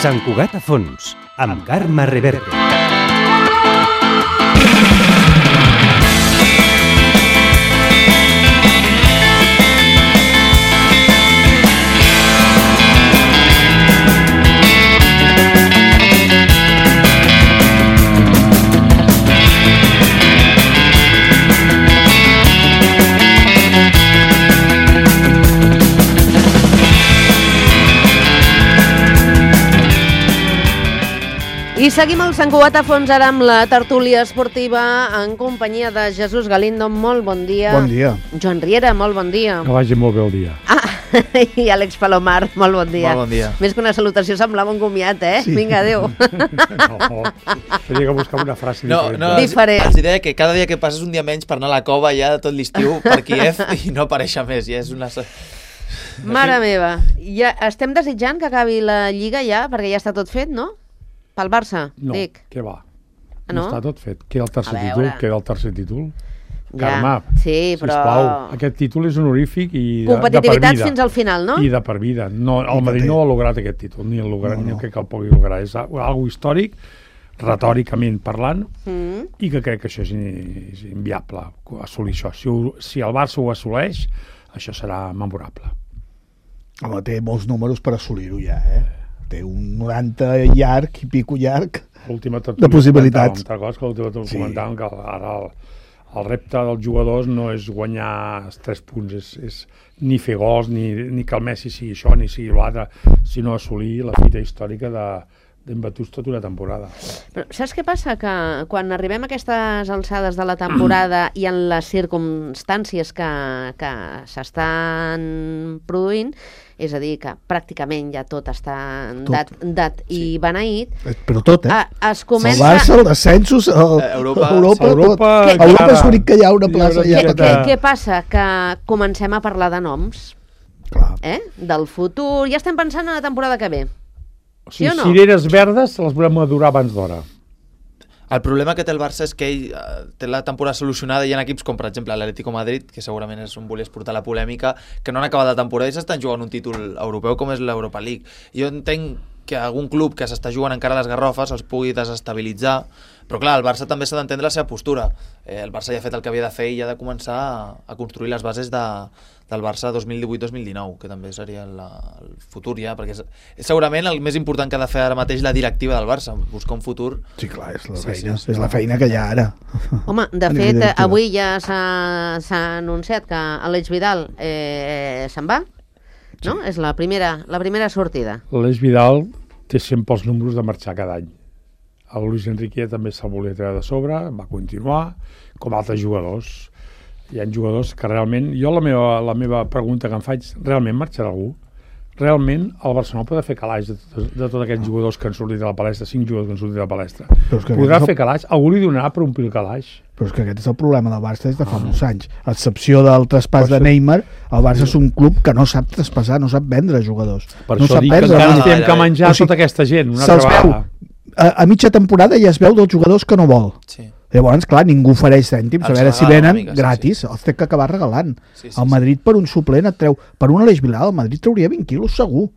Sant Cugat a fons, amb Carme Reverte. I seguim el Sant Cugat a fons ara amb la tertúlia esportiva en companyia de Jesús Galindo. Molt bon dia. Bon dia. Joan Riera, molt bon dia. Que vagi molt bé el dia. I Àlex Palomar, molt bon dia. Molt bon dia. Més que una salutació semblava un comiat, Sí. Vinga, adéu. No, tenia que buscar una frase diferent. Diferent. Els diré que cada dia que passes un dia menys per anar a la cova ja tot l'estiu per Kíev i no aparèixer més. Ja és una... Mare meva, ja estem desitjant que acabi la Lliga ja, perquè ja està tot fet, no? Pel Barça, No, dic. què va? No? No està tot fet. Queda el tercer A títol, veure. queda el tercer títol. Ja, Carme, sí, però... sisplau, aquest títol és honorífic i Competitivitat de per vida. fins al final, no? I de per vida. No, el Madrid no ha lograt aquest títol, ni el lograt, ni crec que el pugui lograr. És algo històric, retòricament parlant, i que crec que això és inviable, assolir això. Si el Barça ho assoleix, això serà memorable. Home, té molts números per assolir-ho ja, Té un 90 llarg i pico llarg de possibilitats. Te'n recordes que l'última comentàvem que ara el repte dels jugadors no és guanyar els 3 punts, és ni fer gols, ni que el Messi sigui això, ni sigui l'altre, sinó assolir la fita històrica d'embatuts tota una temporada. Però saps què passa? Que quan arribem a aquestes alçades de la temporada i en les circumstàncies que s'estan produint, és a dir, que pràcticament ja tot està dat i beneït. Però tot, Es comença... El Barça, el descensos, Europa, és l'únic que hi ha una plaça ja. Què passa? Que comencem a parlar de noms, del futur. Ja estem pensant en la temporada que ve. O sigui, sí o no? cireres verdes les volem madurar abans d'hora. El problema que té el Barça és que ell té la temporada solucionada. Hi ha equips com, per exemple, l'Atlético Madrid, que segurament és on volies portar la polèmica, que no han acabat la temporada i s'estan jugant un títol europeu com és l'Europa League. Jo entenc que algun club que s'està jugant encara les garrofes els pugui desestabilitzar, però clar, el Barça també s'ha d'entendre la seva postura. El Barça ja ha fet el que havia de fer i ha de començar a construir les bases del Barça 2018-2019, que també seria el futur ja, perquè és segurament el més important que ha de fer ara mateix la directiva del Barça, buscar un futur. Sí, clar, és la feina, és la feina que hi ha ara. Home, de fet, avui ja s'ha anunciat que Àlex Vidal se'n va, no? És la primera sortida. L'Eix Vidal té sempre els números de marxar cada any. El Luis Enrique també se'l volia treure de sobre, va continuar, com altres jugadors. Hi ha jugadors que realment... Jo la meva pregunta que em faig, realment marxarà algú? Realment el Barcelona pot fer calaix de tots aquests jugadors que han sortit de la palestra, 5 jugadors que han sortit de la palestra? Podrà fer calaix? Algú li donarà per omplir el calaix? Però és que aquest és el problema del Barça des de fa molts anys. A excepció del traspàs de Neymar, el Barça és un club que no sap traspassar, no sap vendre jugadors. Per això dic que encara ens tenen que menjar tota aquesta gent, una altra vegada. A mitja temporada ja es veu dels jugadors que no vol. Sí. Llavors, clar, ningú ofereix cèntims, a veure si venen gratis, els té que acabar regalant. El Madrid per un suplent et treu, per un Àlex Vidal, el Madrid trauria 20 quilos segur,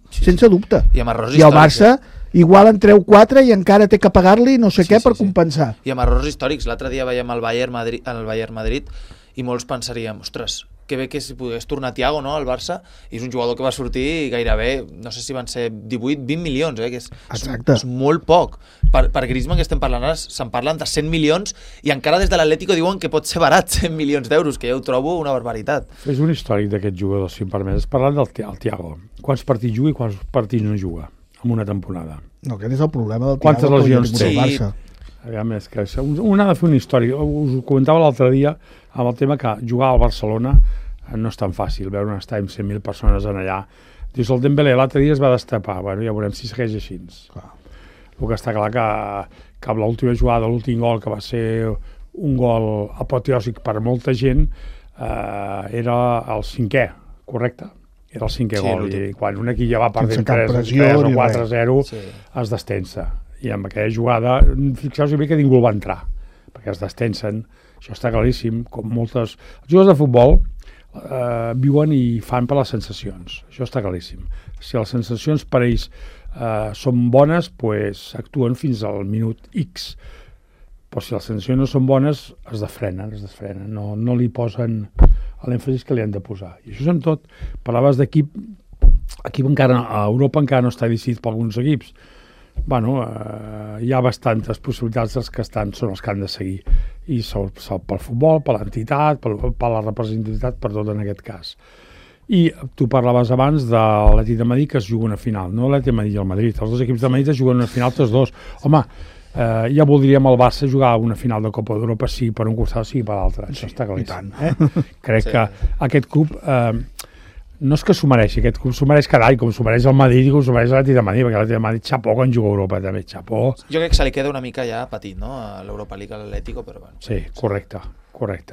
sense dubte. I amb errors històrics. I el Barça igual en treu 4 i encara té que pagar-li no sé què per compensar. I amb errors històrics. L'altre dia veiem el Bayern Madrid i molts pensaríem, ostres, que bé que si pogués tornar Thiago, no, al Barça, i és un jugador que va sortir gairebé, no sé si van ser 18-20 milions, que és molt poc. Per Griezmann, que estem parlant ara, se'n parlen de 100 milions i encara des de l'Atlético diuen que pot ser barat 100 milions d'euros, que ja ho trobo una barbaritat. És un històric d'aquest jugador, si em permets. Parlant del Thiago, quants partits juga i quants partits no juga en una temporada? No, aquest és el problema del Thiago. Quantes lesions té? Barça. Aviam, és que un ha de fer una història. Us ho comentava l'altre dia amb el tema que jugar al Barcelona no és tan fàcil, veure un estadi amb 100.000 persones en allà. Dius, el Dembélé l'altre dia es va destapar, bueno, ja veurem si segueix així. El que està clar que l'última jugada, l'últim gol, que va ser un gol apoteòsic per molta gent, era el 5è, correcte? Era el 5è gol, i quan un equip ja va perdent 3 o 4-0 es destensa. I amb aquella jugada, fixeu-vos bé que ningú el va entrar, perquè es destensen, això està claríssim, com moltes... Els jugadors de futbol viuen i fan per les sensacions, això està claríssim. Si les sensacions per ells són bones, pues, actuen fins al minut X. Però si les sensacions no són bones, es desfrenen. No li posen l'èmfasis que li han de posar. I això és amb tot. Parlaves d'equip, a Europa encara no està decidit per alguns equips. Bueno, hi ha bastantes possibilitats, els que són els que han de seguir. I pel futbol, per l'entitat, per la representativitat, per tot en aquest cas. I tu parlaves abans de l'Atlètic de Madrid, que es juga una final. No l'Atlètic de Madrid i el Madrid. Els dos equips de Madrid es juguen una final tots dos. Home, ja voldríem el Barça jugar una final de Copa d'Europa, sigui per un costat, sigui per l'altre. Això està claríssim. Crec que aquest club no és que s'ho mereixi, aquest club s'ho mereix cada any, com s'ho mereix el Madrid i com s'ho mereix l'Atlètic de Madrid, perquè l'Atlètic de Madrid xapó quan juga a Europa, també, xapó. Jo crec que se li queda una mica ja petit, no?, a l'Europa League, a l'Atlético, però bueno. Sí, correcte.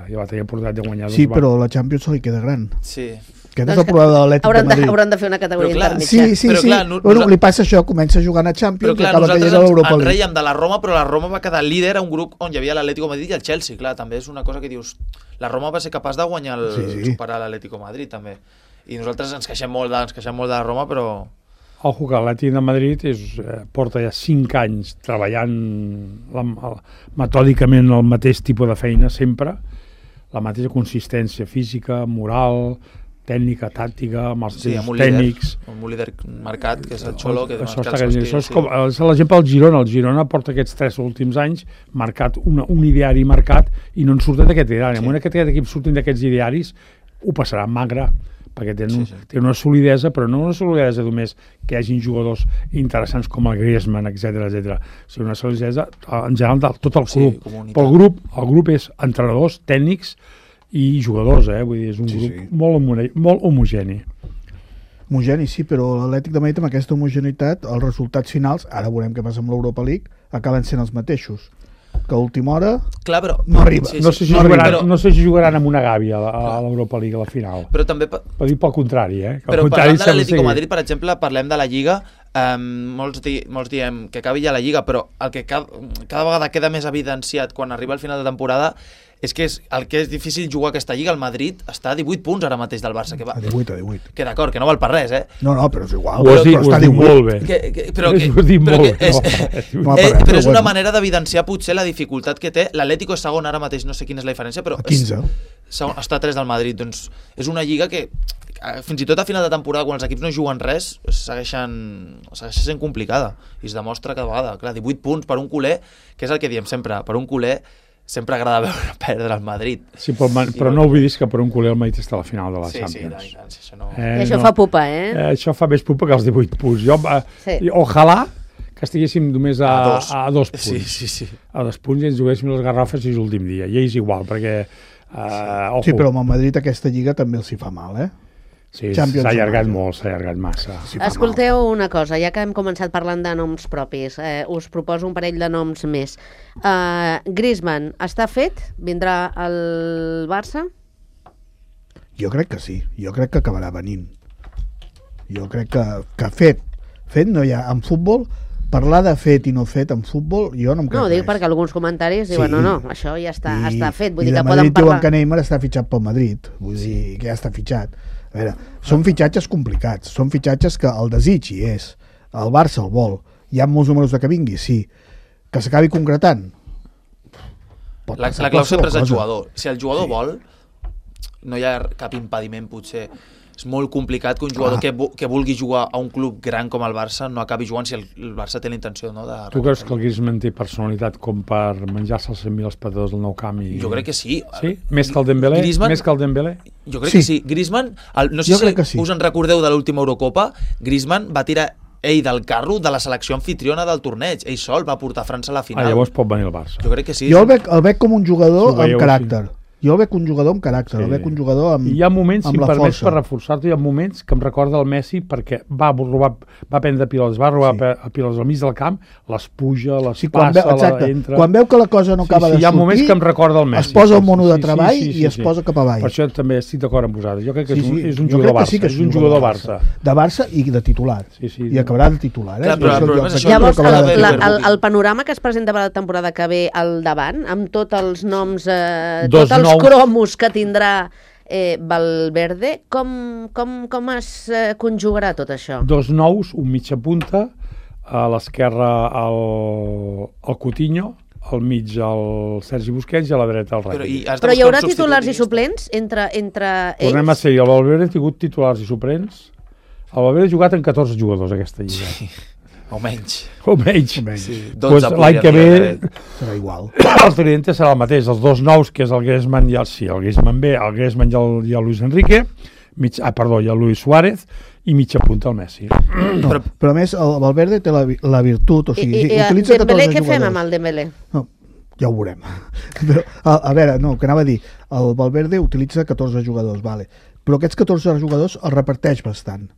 Ja va tenir oportunitat de guanyar. Sí, però la Champions se li queda gran. Sí. Aquest és el problema de l'Atlètic de Madrid. Hauran de fer una categoria intermitja. Sí. Clar, bueno, li passa això, comença jugant a Champions i acaba caient a l'Europa League. Ens reiem de la Roma, però la Roma va quedar líder a un grup on hi havia l'Atlético Madrid i el Chelsea. Clar, també és una cosa que dius... La Roma va ser capaç de guanyar superar l'Atlético Madrid, també. I nosaltres ens queixem molt de la Roma, però... Ojo que l'Atlètic de Madrid porta ja 5 anys treballant metòdicament el mateix tipus de feina sempre, la mateixa consistència física, moral, tècnica, tàctica, amb els tècnics. Amb un líder marcat, que és el Xolo, que això és com l'exemple del Girona. El Girona porta aquests 3 últims anys marcat un ideari marcat i no en surten d'aquest ideari. En aquest equip surtin d'aquests idearis ho passarà magre, perquè té una solidesa, però no una solidesa només que hi hagin jugadors interessants com el Griezmann, etc. sinó una solidesa en general de tot el club. Però el grup és entrenadors, tècnics i jugadors, vull dir, és un grup molt homogeni. Homogeni, sí, però l'Atlètic de Madrid amb aquesta homogeneïtat, els resultats finals, ara veurem què passa amb l'Europa League, acaben sent els mateixos. Que a última hora no arriba. No sé si jugaran amb una gàbia a l'Europa League a la final. Però també... Per dir pel contrari, Però parlant de l'Atlético Madrid, per exemple, parlem de la Lliga, molts diem que acabi ja la Lliga, però el que cada vegada queda més evidenciat quan arriba al final de temporada és que el que és difícil jugar aquesta Lliga. El Madrid està a 18 punts ara mateix del Barça. A 18. Que d'acord, que no val per res, No, però és igual. Ho has dit molt bé. Però és una manera d'evidenciar potser la dificultat que té. L'Atlético és segon ara mateix, no sé quina és la diferència, però 15. Està a 3 del Madrid. Doncs és una Lliga que fins i tot a final de temporada, quan els equips no juguen res, segueix sent complicada i es demostra cada vegada. Clar, 18 punts per un culer, que és el que diem sempre, per un culer sempre agrada veure perdre el Madrid. Sí, però no oblidis que per un culer el Madrid està a la final de la Champions. Sí, això no... I això fa pupa, Això fa més pupa que els 18 punts. Ojalà que estiguéssim només a 2 punts. Sí. A 2 punts i ens juguéssim les garrofes i l'últim dia. I és igual, perquè... Sí, però amb el Madrid aquesta lliga també els hi fa mal, Sí, s'ha allargat molt, s'ha allargat massa. Escolteu una cosa, ja que hem començat parlant de noms propis, us proposo un parell de noms més. Griezmann, està fet? Vindrà al Barça? Jo crec que sí, jo crec que acabarà venint. Jo crec que fet no hi ha. En futbol, parlar de fet i no fet en futbol, jo no em crec res. No, dic perquè alguns comentaris diuen, no, això ja està fet, vull dir que poden parlar... I de Madrid diuen que Neymar està fitxat pel Madrid, vull dir que ja està fitxat. A veure, són fitxatges complicats, són fitxatges que el desig hi és, el Barça el vol, hi ha molts números de que vingui, sí, que s'acabi concretant. La clau sempre és el jugador. Si el jugador vol, no hi ha cap impediment potser. És molt complicat que un jugador que vulgui jugar a un club gran com el Barça no acabi jugant si el Barça té la intenció, no? Tu creus que el Griezmann té personalitat com per menjar-se els 100.000 espectadors del Nou Camp? Jo crec que sí. Sí? Més que el Dembélé? Jo crec que sí. Griezmann, no sé si us en recordeu de l'última Eurocopa, Griezmann va tirar ell del carro de la selecció anfitriona del torneig. Ell sol va portar França a la final. Llavors pot venir al Barça. Jo crec que sí. Jo el veig com un jugador amb caràcter. Jo el veig un jugador amb caràcter, el veig un jugador amb la força. Hi ha moments, si em permets per reforçar-te, hi ha moments que em recorda el Messi perquè va prendre pilotes, va robar pilotes al mig del camp, les puja, les passa, entra... Quan veu que la cosa no acaba de sortir, hi ha moments que em recorda el Messi. Es posa el mono de treball i es posa cap avall. Per això també estic d'acord amb vosaltres. Jo crec que és un jugador Barça. És un jugador Barça. De Barça i de titular. I acabarà de titular. Llavors, el panorama que es presenta per la temporada que ve al davant, amb tots els noms, tots els cromos que tindrà Valverde, com es conjugarà tot això? 2 nous, un mitja punta, a l'esquerra el Coutinho, al mig el Sergi Busquets i a la dreta el Rakitic. Però hi haurà titulars i suplents entre ells? Tornem a ser, el Valverde ha tingut titulars i suplents. El Valverde ha jugat en 14 jugadors aquesta lliga. Sí. O menys. O menys. Sí. Pues l'any que ve serà igual. el tridente serà el mateix. Els 2 nous, que és el Griezmann i el Griezmann i el Luis Enrique, i el Luis Suárez, i mitja punta el Messi. No, però a més, el Valverde té la virtut, o sigui, utilitza 14 Dembélé, què jugadors. fem amb el Dembélé? No, ja ho veurem. Però, a veure, no, que anava a dir, el Valverde utilitza 14 jugadors, vale. Però aquests 14 jugadors els reparteix bastant.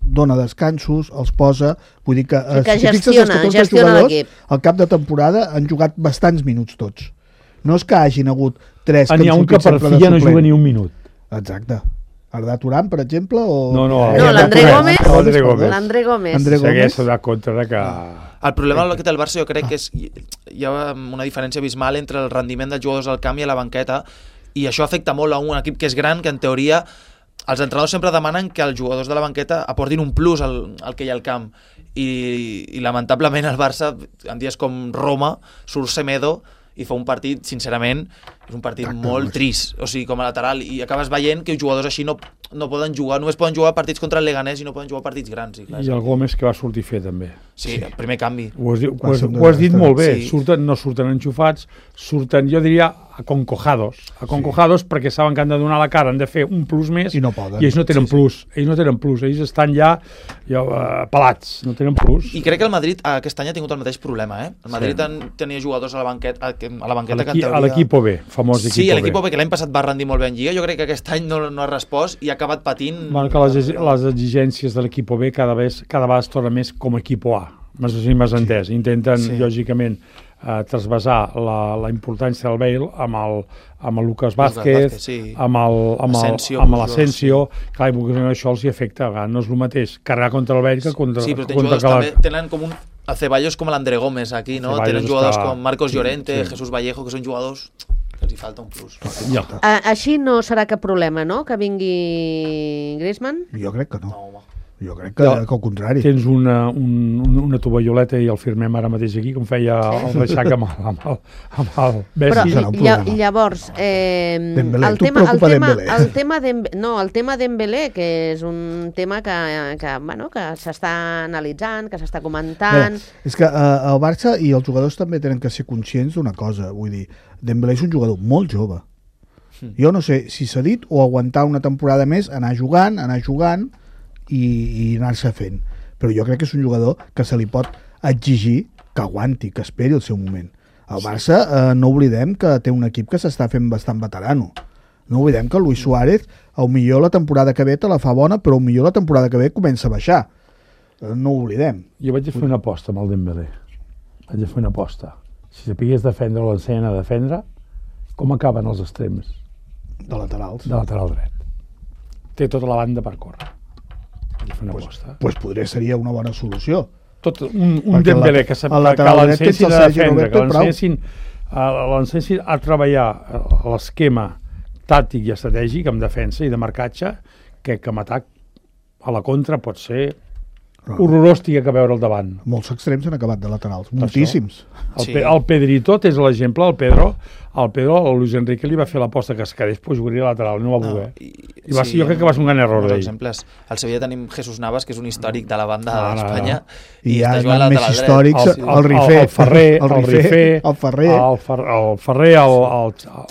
Dona descansos, els posa, vull dir que, que si fixes els 14 gestiona jugadors, l'equip. al cap de temporada han jugat bastants minuts tots. No és que hagin hagut 3 N'hi ha un que per fi ja no juga ni un minut. Exacte. Arda Turan, per exemple, o... No, l'André Gómez. L'André Gómez. Segueix a donar compte de que... El problema que té el Barça jo crec que hi ha una diferència abismal entre el rendiment dels jugadors al camp i a la banqueta, i això afecta molt a un equip que és gran, que en teoria els entrenadors sempre demanen que els jugadors de la banqueta aportin un plus al que hi ha al camp, i lamentablement el Barça en dies com Roma surt Semedo i fa un partit, sincerament, és un partit molt trist, o sigui, com a lateral, i acabes veient que els jugadors així no poden jugar, només poden jugar partits contra el Leganés i no poden jugar partits grans. I el Gómez que va sortir a fer també. Sí, el primer canvi. Ho has dit molt bé, no surten enxufats, surten, jo diria, aconcojados, perquè saben que han de donar la cara, han de fer un plus més, i no poden. I ells no tenen plus, ells estan ja pelats, no tenen plus. I crec que el Madrid aquest any ha tingut el mateix problema, El Madrid tenia jugadors a la banqueta que en teoria... A l'Equipo B, famós Equipo B. Sí, l'Equipo B, que l'any passat va rendir molt bé en Lliga, jo crec que aquest any no ha respost i ha acabat patint... Bueno, que les exigències de l'Equipo B cada vegada es torna més com Equipo A, m'has entès. Intenten, lògicament, trasbasar la importància del Bale amb el Lucas Vázquez, amb l'Asensio, clar, i això els hi afecta, no és el mateix carregar contra el Bale que contra... Sí, però també tenen com un... El Ceballos com l'Andre Gómez aquí, no? Tenen jugadors com Marcos Llorente, Jesús Vallejo, que són jugadors que els hi falta un plus. Així no serà cap problema, no?, que vingui Griezmann? Jo crec que no. Jo crec que al contrari. Tens una tovalloleta i el firmem ara mateix aquí, com feia el Reixac amb el Messi. Però llavors, el tema Dembélé, que és un tema que s'està analitzant, que s'està comentant... És que el Barça i els jugadors també tenen que ser conscients d'una cosa, vull dir, Dembélé és un jugador molt jove. Jo no sé si s'ha dit o aguantar una temporada més, anar jugant, i anar-se fent, però jo crec que és un jugador que se li pot exigir que aguanti, que esperi el seu moment. El Barça, no oblidem que té un equip que s'està fent bastant veterano, no oblidem que el Luis Suárez millor la temporada que ve te la fa bona, però millor la temporada que ve comença a baixar, no ho oblidem. Jo vaig a fer una aposta amb el Dembélé, si sapigués defendre o l'ensenya a defendre, com acaben els extrems? De laterals. De lateral dret. Té tota la banda per córrer. Pues potser seria una bona solució. Un Dembélé que l'ensenyessin a defendre, que l'ensenyessin a treballar l'esquema tàctic i estratègic en defensa i de marcatge, que en atac a la contra pot ser horrorós que veure al davant. Molts extrems han acabat de laterals, moltíssims. El Pedrito és l'exemple, el Luis Enrique li va fer l'aposta que es quedés, però jugaria lateral, no va voler. Jo crec que va ser un gran error d'ell. Al Sevilla tenim Jesús Navas, que és un històric de la banda d'Espanya, i hi ha més històrics, el Ferrer,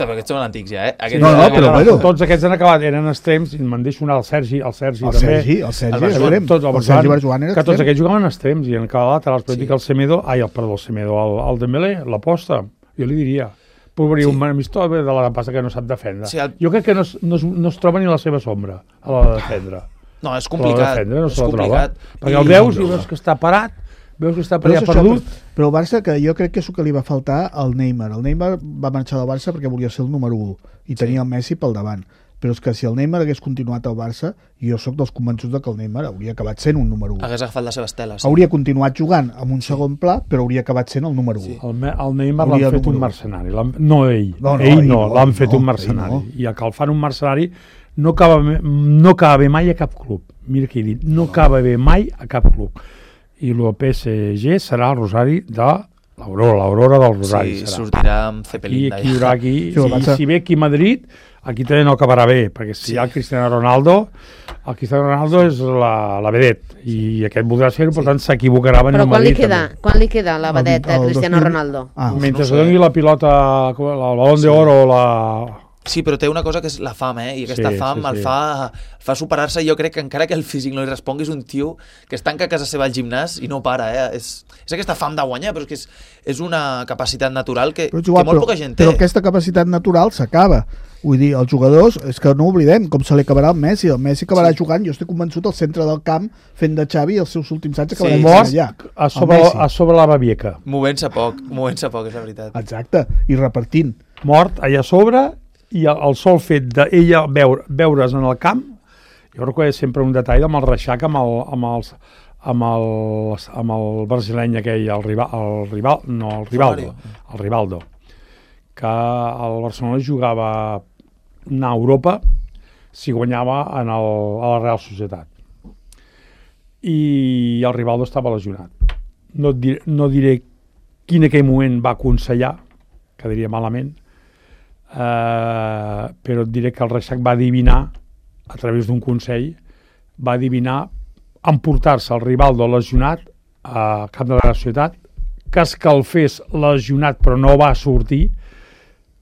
aquests són antics ja, però tots aquests han acabat, eren extrems, i me'n deixo anar el Sergi també, el Sergi Barjuan era que tots aquests jugaven extrems i han acabat laterals, però dic el Semedo, el Dembélé, l'aposta, jo li diria, podria un amistós de la passa que no sap defendre. Jo crec que no es troba ni la seva sombra a l'hora de defendre. No, és complicat. Perquè el veus i veus que està parat, veus que està perdut. Però el Barça, que jo crec que és el que li va faltar al Neymar. El Neymar va marxar del Barça perquè volia ser el número 1 i tenia el Messi pel davant. però és que si el Neymar hagués continuat al Barça, jo sóc dels convençuts que el Neymar hauria acabat sent un número 1. Hagués agafat la seva estela. Sí. Hauria continuat jugant amb un segon pla, però hauria acabat sent el número 1. Sí. El Neymar Hauria l'han fet número un u. mercenari. No ell. No, Ell no, ell l'han fet no, un mercenari. ell no. I que el fan un mercenari no acaba bé mai a cap club. Mira què he dit, no acaba bé mai a cap club. I el PSG serà el Rosari de l'Aurora del Rosari. Sí, serà. sortirà amb Cepelín Aquí hi haurà aquí, Sí, el Barça- si ve aquí a Madrid, aquí també no acabarà bé, perquè si hi ha el Cristiano Ronaldo és la vedette, i aquest voldrà ser-ho, per tant s'equivocarà venint Però a quan li Madrid. queda? també. Quan li queda la vedeta El Cristiano 2000. Ronaldo? Mentre no sé. doni la pilota, el balón d'oro o la... Sí, però té una cosa que és la fam, I aquesta Sí, fam sí, sí. el fa superar-se. Jo crec que encara que el físic no li respongui, és un tio que es tanca a casa seva al gimnàs i no para, És aquesta fam de guanyar, però és que és una capacitat natural que molt poca gent té. Però aquesta capacitat natural s'acaba. Vull dir, els jugadors, és que no oblidem com se li acabarà el Messi. El Messi acabarà jugant, jo estic convençut, al centre del camp, fent de Xavi, i els seus últims anys acabaran Mort allà. a El Messi. sobre la Babieca. Movent-se poc, és la veritat. Exacte, i repartint. Mort allà a sobre, i el sol fet d'ella veure's en el camp, jo recordo sempre un detall amb el Reixac, amb el brasileny aquell, el Rivaldo, que el Barcelona jugava anar a Europa si guanyava a la Real Societat. I el Rivaldo estava lesionat. No diré quin aquell moment va aconsellar, que diria malament, però et diré que el Reixac va adivinar, a través d'un consell, va adivinar emportar-se el Rivaldo lesionat a cap de la Real Societat, que escalfés lesionat però no va sortir,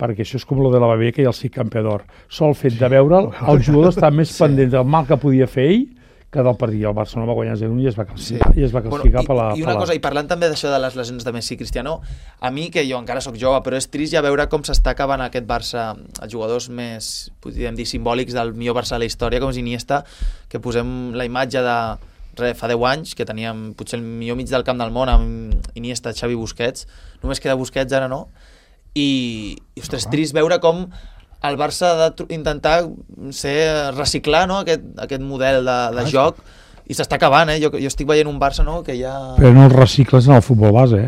perquè això és com lo de la Babieca i el Cic Campeador. Sol fet de veure'l, el jugador està més pendent del mal que podia fer ell que del partit. El Barcelona va guanyar 0-1 i es va classificar per la... I una cosa, i parlant també d'això de les lesions de Messi i Cristiano, a mi, que jo encara sóc jove, però és trist ja veure com s'està acabant aquest Barça, els jugadors més, podríem dir, simbòlics del millor Barça de la història, com és Iniesta, que posem la imatge de fa 10 anys, que teníem potser el millor mig del camp del món amb Iniesta, Xavi, Busquets, només queda Busquets, ara no, i ostres, trist veure com el Barça ha d'intentar reciclar, no? aquest model de joc, i s'està acabant, Jo estic veient un Barça, no? Que ja... Però no els recicles en el futbol base,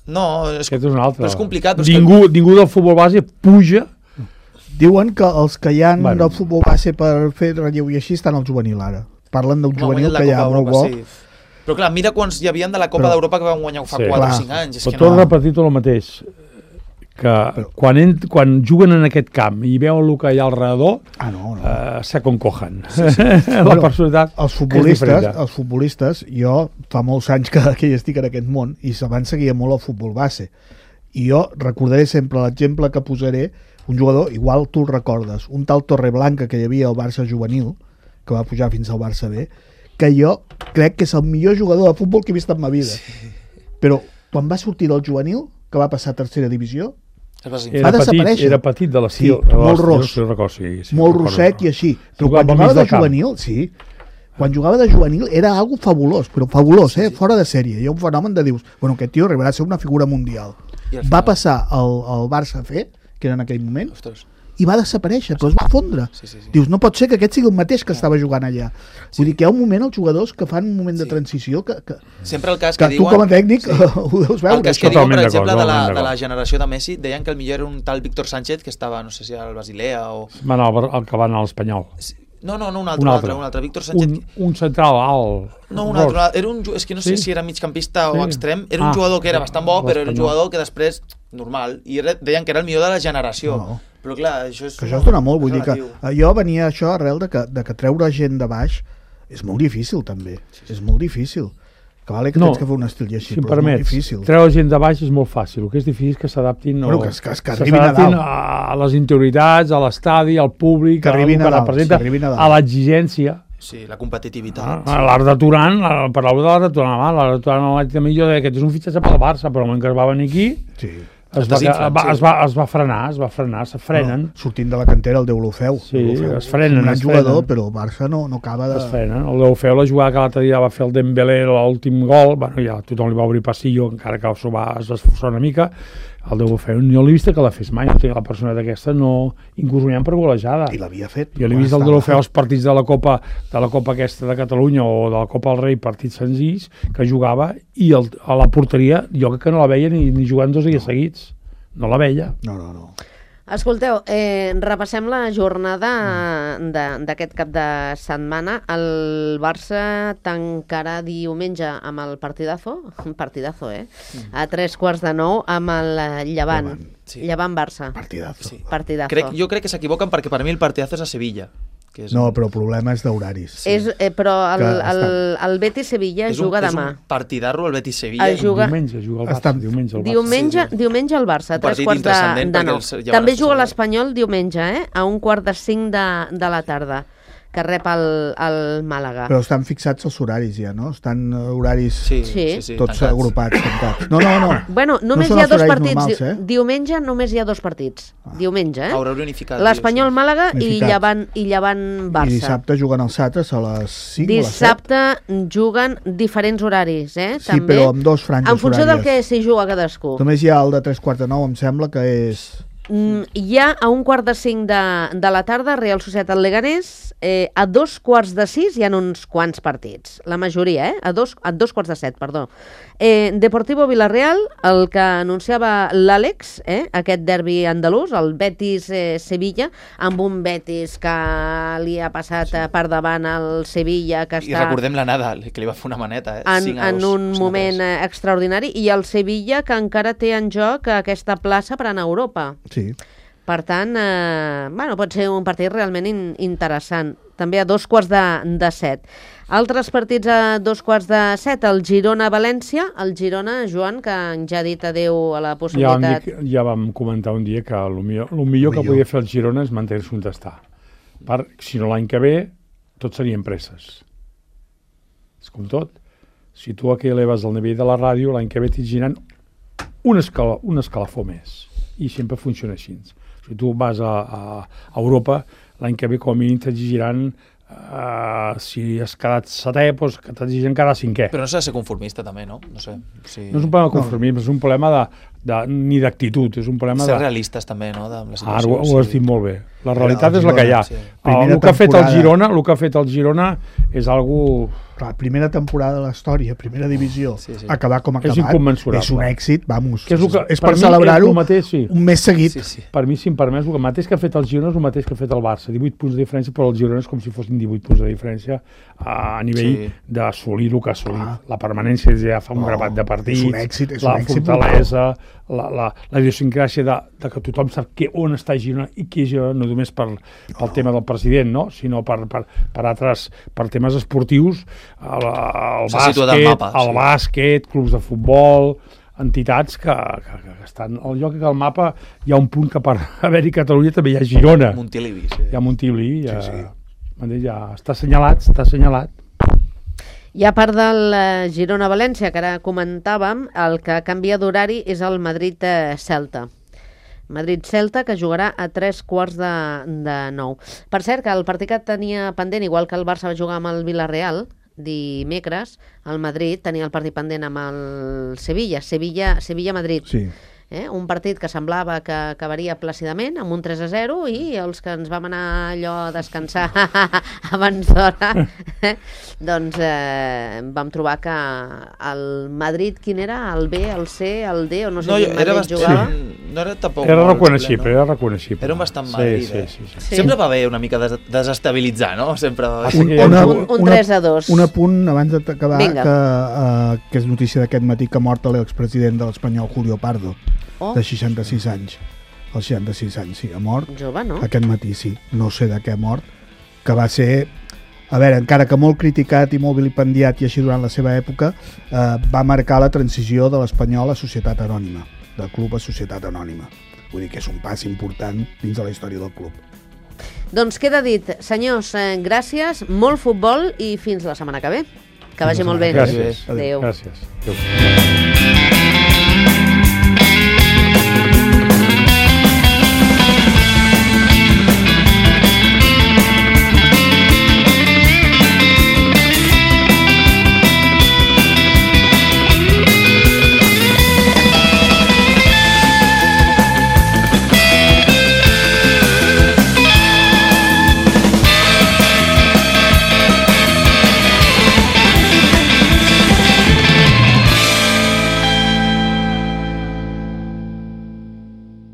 No, Aquest és un altre. però és complicat. Però Ningú del futbol base puja. Diuen que els que hi ha Bueno. del futbol base per fer relleu i així estan al juvenil ara. Parlen d'un juvenil que hi ha molt bo. Sí. Però clar, mira quants hi havien de la Copa d'Europa que van guanyar fa 4 o 5 anys. És Però que torno a no... repetir tot el mateix, que quan juguen en aquest camp i veuen el que hi ha al redador, se concogen. La personalitat Els futbolistes, jo fa molts anys que hi estic en aquest món i abans seguia molt el futbol base, i jo recordaré sempre l'exemple que posaré, un jugador, igual tu el recordes, un tal Torreblanca que hi havia al Barça juvenil, que va pujar fins al Barça B, que jo crec que és el millor jugador de futbol que he vist en ma vida. Però quan va sortir del juvenil, que va passar a tercera divisió, va desaparèixer. Era petit de l'estil. Sí, molt ros, molt rosset i així. Però quan jugava de juvenil, quan jugava de juvenil era algo fabulós, però fabulós, fora de sèrie. Hi ha un fenomen de dius, bueno, aquest tio arribarà a ser una figura mundial. Va passar al Barça C, que era en aquell moment, i va desaparèixer, però es va fondre. Dius, no pot ser que aquest sigui el mateix que estava jugant allà. Vull dir que hi ha un moment, els jugadors, que fan un moment de transició que sempre el cas que tu com a tècnic ho deus veure. El cas que diuen, per exemple, de la generació de Messi, deien que el millor era un tal Víctor Sánchez, que estava, no sé si al Basilea o... El que va anar a l'Espanyol. No, un altre. Víctor Sánchez... Un central alt. No, un altre. És que no sé si era migcampista o extrem. Era un jugador que era bastant bo, però era un jugador que després, normal, i deien que era el millor de la generació. Però clar, això és... Que això es dona molt, vull dir que jo venia això arrel de que treure gent de baix és molt difícil, també. És molt difícil. Que vale que tens que fer un estil i així, però és molt difícil. Treure gent de baix és molt fàcil. El que és difícil és que s'adaptin a les interioritats, a l'estadi, al públic, que a l'exigència. Sí, la competitivitat. L'Arda Turan, parlàveu de l'Arda Turan, l'Arda Turan també jo deia que és un fitxatge pel Barça, però el moment que es va venir aquí es va frenar, se frenen. Sortint de la cantera el Deulofeu. Sí, es frenen. És un gran jugador, però el Barça no acaba de... Es frenen. El Deulofeu, la jugada que l'altre dia va fer el Dembélé, l'últim gol, bueno, ja tothom li va obrir passillo, encara que es va esforçar una mica. el Deulofeu jo l'he vist que la fes mai, no tenia la persona d'aquesta no incursionant per golejada. I l'havia fet. Jo l'he vist el Deulofeu als partits de la Copa aquesta de Catalunya o de la Copa del Rei, partits senzills, que jugava i a la porteria jo crec que no la veia ni jugant 2 dies seguits. No la veia. No. Escolteu, repassem la jornada d'aquest cap de setmana. El Barça tancarà diumenge amb el partidazo, a 3:15 amb el Llevant. Sí. Llevant-Barça. Partidazo. Sí. Partidazo. Jo crec que s'equivoquen perquè per mi el partidazo és a Sevilla. Que és No, però el problema és d'horaris. Però el Betis-Sevilla juga demà. És un partidarro el Betis-Sevilla. Diumenge juga el Barça. Diumenge el Barça, a 3:15. També juga l'Espanyol diumenge, a 4:45 de la tarda, que rep el Màlaga. Però estan fixats els horaris ja, no? Estan horaris Sí, tots tancats. agrupats, tancats. No. Bueno, només No són hi ha els 2 horaris partits. normals, Diumenge només hi ha 2 partits. Diumenge, Haurà unificat. l'Espanyol-Màlaga i Unificat. Llevant-Barça. I dissabte juguen els altres a les 5 Dissabte juguen diferents horaris, Sí, també. però amb 2 franges en funció horàries. del que s'hi juga cadascú. Només hi ha el de 3:15, em sembla que és... Hi ha a 4:45 de la tarda Real Societat Leganés, a 5:15 hi ha uns quants partits, la majoria, a 7:15, perdó. Deportivo Villarreal, el que anunciava l'Àlex, aquest derbi andalús, el Betis-Sevilla, amb un Betis que li ha passat per davant al Sevilla, que I està recordem la Nadal, que li va fer una maneta. en un moment extraordinari, i el Sevilla, que encara té en joc aquesta plaça per anar a Europa. Sí. Per tant, pot ser un partit realment interessant. També a 6:15. Altres partits a 6:15, el Girona-València. El Girona, Joan, que ja ha dit adeu a la possibilitat... Ja vam comentar un dia que el millor que podia fer el Girona és mantenir-se on està. Si no l'any que ve, tot serien presses. És com tot. Si tu aquí eleves el nivell de la ràdio, l'any que ve t'hi girant un escalafó més. I sempre funciona així. Si tu vas a Europa, l'any que ve com a mínim t'exigirán, si has quedat setè, doncs que t'exigiran cada 5è. Però no s'ha de ser conformista també, no? No sé. Si... No és un problema de conformisme, és un problema ni d'actitud, és un problema ser realistes també, no? De la situació. Ho has dit molt bé. La realitat és la que hi ha. Sí. El que ha fet el Girona és algo... Clar, primera temporada de la història, primera divisió, acabar com ha acabat, és inconmensurable. És un èxit, vamos, és per celebrar-ho sí. un mes seguit. Sí. Per mi, si em permets, el mateix que ha fet el Girona és el mateix que ha fet el Barça. 18 punts de diferència, però el Girona és com si fossin 18 punts de diferència a nivell d'assolir el que ha assolit. La permanència ja fa un grapat de partits, és un èxit, la fortalesa, la idiosincràsia de que tothom sap on està Girona i qui és Girona, no només pel tema del president, no? Sinó per temes esportius, el bàsquet, clubs de futbol, entitats que estan... Jo crec que al mapa hi ha un punt que per haver-hi Catalunya també hi ha Girona. Montilivi, sí. Hi ha Montilivi, ja està assenyalat. I a part del Girona-València, que ara comentàvem, el que canvia d'horari és el Madrid-Celta. Madrid-Celta, que jugarà a 8:45. Per cert, que el partit que tenia pendent, igual que el Barça va jugar amb el Villarreal, dimecres, el Madrid tenia el partit pendent amb el Sevilla-Madrid. Sí. Un partit que semblava que acabaria plàcidament amb un 3-0 i els que ens vam anar allò a descansar abans d'hora doncs vam trobar que el Madrid, quin era? El B, el C, el D, o no sé quin Madrid jugava? No era tampoc era reconeixible. Era un bastant Madrid. Sí. Sempre va bé una mica desestabilitzar, no? Sempre un 3-2. Un apunt abans d'acabar, que és notícia d'aquest matí, que ha mort l'expresident de l'Espanyol, Julio Pardo, de 66 anys. Als 66 anys, sí, ha mort. Jove, no? Aquest matí, sí. No sé de què ha mort. Que va ser, a veure, encara que molt criticat i molt vilipendiat i així durant la seva època, va marcar la transició de l'Espanyol a societat anònima, del club a societat anònima. Vull dir que és un pas important dins de la història del club. Doncs queda dit. Senyors, gràcies, molt futbol i fins la setmana que ve. Que vagi molt bé. Gràcies. Adéu. Gràcies.